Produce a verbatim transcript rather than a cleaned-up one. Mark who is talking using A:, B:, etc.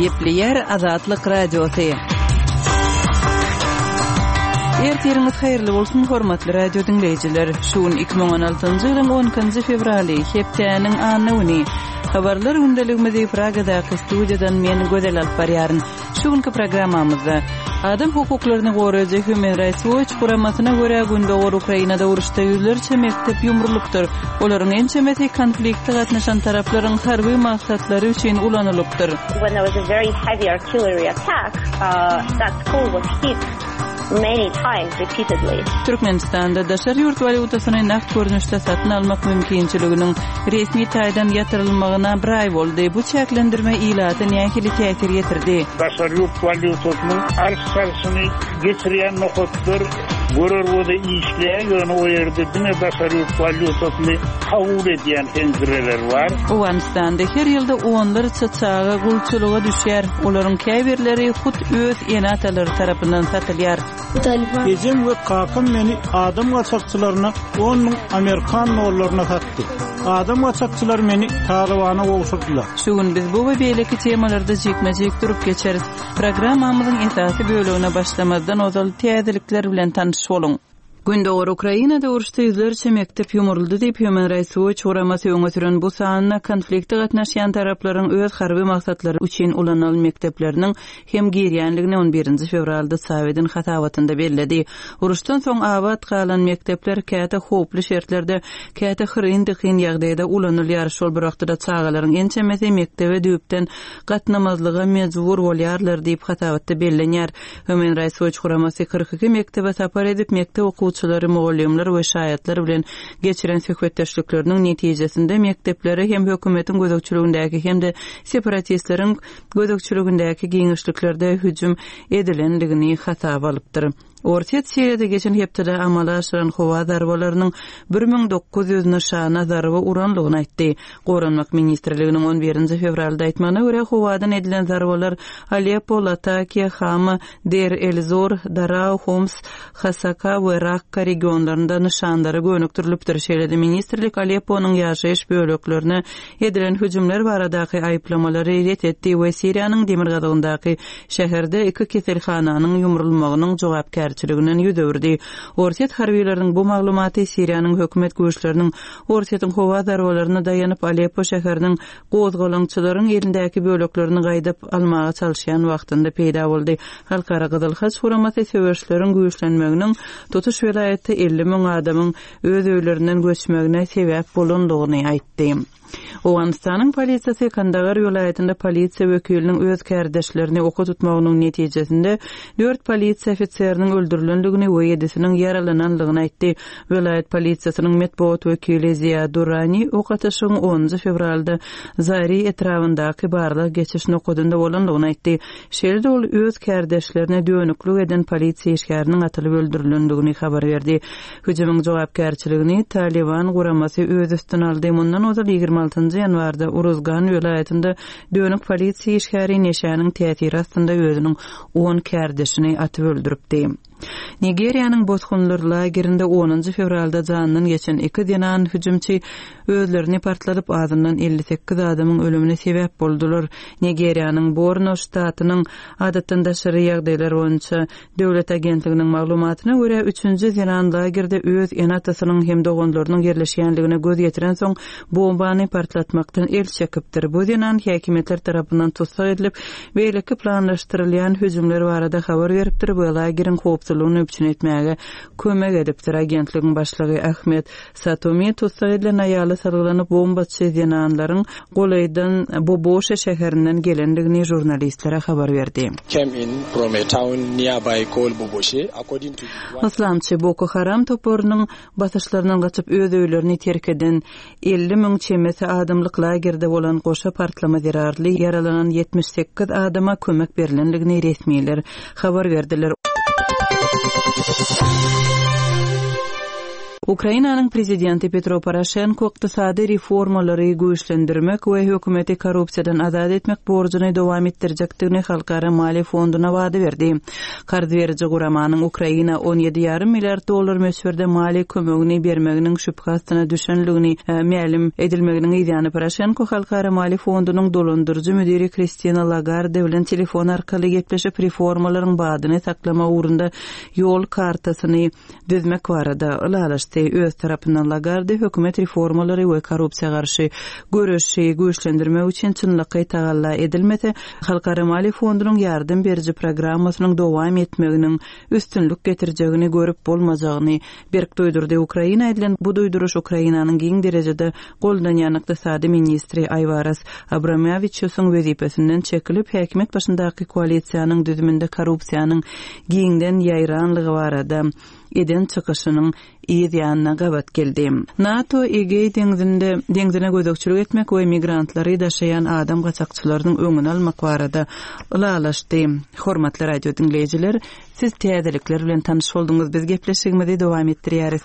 A: Gepleýär Azatlyk Radiosy. Ertiriňiz haýyrly bolsun, hormatly radio diňleýjiler. Şu gün iki müň on altynjy ýylyň on ikinji fewraly, hepdäniň anna güni. Habarlar gündeligimizi Pragadaky studiýadan men Gözel alyp barýaryn. Şu günki programmamyzda Adam hukuklaryny goraýjy Human Rights Watch guramasyna görä, Gündogar Ukrainada uruşda ýüzlerçe mekdep ýumrulypdyr. Olaryň ençemesi konflikte gatnaşan taraplaryň harby maksatlary üçin ulanylypdyr.
B: When there was a very heavy artillery attack, uh, that school was hit many times repeatedly.
A: Türkmenistanda daşary ýurt walýutasyny nagt görnüşde satyn almak mümkinçiliginiň resmi taýdan ýatyrylmagyna bir aý boldy. Bu çäklendirme ilata nähili täsir ýetirdi?
C: Daşary ýurt walýutasynyň alyş-çalşyny geçirýän nokatlar görer göze işleýär, ýöne o ýerde diňe daşary ýurt walýutasyny kabul edýän penjireler bar.
A: Owganystanda her ýylda onlarça çaga gulçulyga düşýär. Olaryň käbirleri hut öz ene-atalary tarapyndan satylýar.
D: Ejem we kakam meni adam gaçakçylaryna on müň amerikan dollaryna satdy. Adam gaçakçylary meni Talybana gowşurdylar.
A: Şu gün biz bu we beýleki temalarda jikme-jik durup geçeris. Programmamyzyň esasy bölegine başlamazdan ozal täzelikler bilen tanyş boluň. Gündogar Ukrainada uruşda ýüzlerçe mekdep ýumruldy diýip Human Rights Watch guramasy öňe süren bu sanyna konflikte gatnaşýan taraplaryň öz harby maksatlary üçin ulanylan mekdepleriniň hem girýänligini on birinji fewralda çap eden hasabatynda belledi. Uruşdan soň abat galan mekdepler käte howply şertlerde, käte hyryn-dykyn ýagdaýda ulanylýar. Şol bir wagtda çagalaryň ençemesi mekdebe düýpden gatnamazlyga mejbur bolýarlar diýip hasabatda bellenýär. Human Rights Watch guramasy kyrk iki mekdebe sapar edip, mekdep okuwçylary, mugallymlar we şaýatlar bilen geçiren söhbetdeşlikleriniň netijesinde mekdeplere hem hökümetiň gözegçiligindäki hem-de separatistleriň gözegçiligindäki giňişliklerde hüjüm edilendigini hasaba alypdyr. Orsýet Siriýada geçen hepdede amala aşyran howa zarbalarynyň bir müň dokuz ýüz nyşana zarba uranlygyny aýtdy. Goranmak ministrliginiň on birinji fewralda aýtmagyna görä, howadan edilen zarbalar Aleppo, Latakiýa, Hama, Deir el-Zor, Darao, Homs, Hasaka we Rakka regionlarynda nyşanlara gönükdirilipdir. Şeýle-de ministrlik Alepponyň ýaşaýyş böleklerine edilen hüjümler baradaky aýyplamalary ret etdi we Siriýanyň demirgazygyndaky şäherde iki keselhananyň ýumrulmagynyň jogapkärçiliginden ýüz öwürdi. Orsýet harbileriniň bu maglumaty Siriýanyň hökümet güýçleriniň Orsýetiň howa zarbalaryna daýanyp Aleppo şäheriniň gozgalaňçylaryň elindäki böleklerini gaýdyp almaga çalyşýan wagtynda peýda boldy. Halkara Gyzyl Haç guramasy söweşleriň güýçlenmeginiň tutuş welaýatda elli müň adamyň öz öýlerinden göçmegine sebäp bolandygyny aýtdy. Owganystanyň polisiýasy Kandahar welaýatynda polisiýa wekiliniň öz kärdeşlerini oka tutmagynyň netijesinde dört polisiýa ofiseriniň öldürilendigini we ýedisiniň ýaralanandygyny aýtdy. Welaýat polisiýasynyň metbugat wekili Ziya Durrani ok atyşygyň onunjy fewralda Zari etrabyndaky barlag geçiş nokadynda bolandygyny aýtdy. Şeýle-de ol öz kärdeşlerine dönüklük eden polisiýa işgäriniň atylyp öldürilendigini habar berdi. Hüjümiň jogapkärçiligini Taliban guramasy öz üstüne aldy. Mundan ozal ýigrimi altynjy ýanwarda Uruzgan welaýatynda dönük polisiýa işgäri neşäniň täsiri astynda özüniň on kärdeşini atyp öldüripdi. Nigeriýanyň bosgunlar lagerinde onunjy fewralda jandan geçen iki zenan hüjümçi özlerini partladyp azyndan elli sekiz adamyň ölümine sebäp boldular. Nigeriýanyň Borno ştatynyň adatdan daşary ýagdaýlar boýunça döwlet agentliginiň maglumatyna görä üçünji zenan lagerde öz ene-atasynyň hem doganlarynyň ýerleşýänligine göz ýetiren soň bombany partlatmakdan el çekipdir. Bu zenan häkimiýetler tarapyndan tussag edilip, beýleki planlaşdyrylýan hüjümler barada habar beripdir we lageriň howpsuzlygyny üpjün etmäge kömek edipdir. Agentligiň başlygy Ahmet Satomi tussag edilen aýaly sargylanyp bombaçy zenanlaryň golaýdan Boboşa şäherinden gelendigini žurnalistlere habar berdi.
E: Came in from a town nearby called Boboshe, according to
A: Islamçy Boko Haram toparynyň basyşlaryndan gaçyp öz öýlerini terk eden elli müň çemesi adamlyk lagerde bolan goşa partlama zerarly ýaralanan ýetmiş sekiz adama kömek berilendigini resmiler habar berdiler. Ukrainanyň prezidenti Petro Poroşenko ykdysady reformalary güýçlendirmek we hökümeti korrupsiýadan azat etmek borjuny dowam etdirjekdigini Halkara maliýe fonduna wada berdi. Karz beriji guramanyň Ukraina on ýedi ýarym milliard dollar möçberde maliýe kömegini bermeginiň şübhe astyna düşenligini mälim edilmeginiň yzýany Poroşenko Halkara maliýe fondunyň dolandyryjy müdiri Kristina Lagarde bilen telefon arkaly gepleşip reformalaryň badyny saklamak ugrunda ýol kartasyny düzmek barada ylalaşdy. Öz tarapyndan Lagarde hökümet reformalary we korrupsiýa garşy göreşi güýçlendirmek üçin çynlakaý tagalla edilmese, Halkara maliýe fondunyň ýardam beriji programmasynyň dowam etmeginiň üstünlik getirjegini görüp bolmajagyny berk duýdurdy. Ukraina edilen bu duýduryş Ukrainanyň giň derejede goldanýan ykdysady ministri Aýwaras Abramowiçusyň wezipesinden çekilip, häkimiýet başyndaky koalisiýanyň düzüminde korrupsiýanyň giňden ýaýranlygy barada eden çykyşynyň yz ýanyna gabat geldi. NATO Egeý deňzinde deňzine gözegçilik etmek we migrantlary daşaýan adam gaçakçylarynyň öňüni almak barada ylalaşdy. Hormatly radio diňleýjiler, siz täzelikler bilen tanyş bolduňyz. Biz gepleşigimizi dowam etdirýäris.